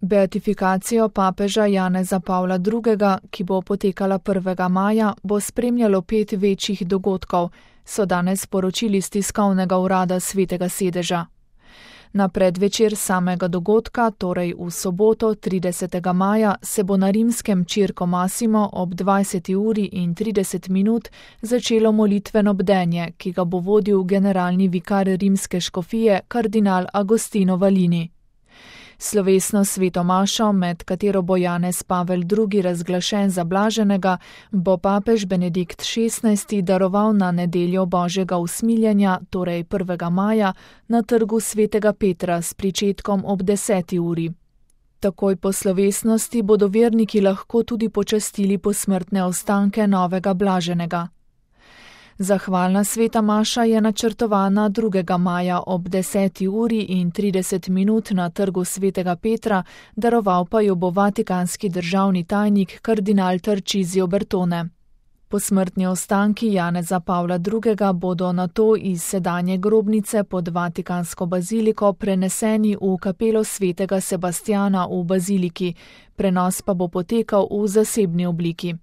Beatifikacijo papeža Janeza Pavla II., ki bo potekala 1. maja, bo spremljalo 5 večjih dogodkov, so danes sporočili iz tiskovnega urada Svetega sedeža. Na predvečer samega dogodka, torej v soboto 30. maja, se bo na rimskem Circo Massimo ob 20:30 začelo molitveno bdenje, ki ga bo vodil generalni vikar rimske škofije kardinal Agostino Valini. Slovesno sveto mašo, med katero bo Janez Pavel II. Razglašen za blaženega, bo papež Benedikt XVI. Daroval na nedeljo Božjega usmiljenja, torej 1. maja, na trgu Svetega Petra s pričetkom ob 10. uri. Takoj po slovesnosti bodo verniki lahko tudi počastili posmrtne ostanke novega blaženega. Zahvalna sveta maša je načrtovana 2. maja ob 10:30 na trgu Svetega Petra, daroval pa jo bo vatikanski državni tajnik kardinal Tarcisio Bertone. Posmrtni ostanki Janeza Pavla II. Bodo nato iz sedanje grobnice pod vatikansko baziliko preneseni v kapelo svetega Sebastjana v baziliki, prenos pa bo potekal v zasebni obliki.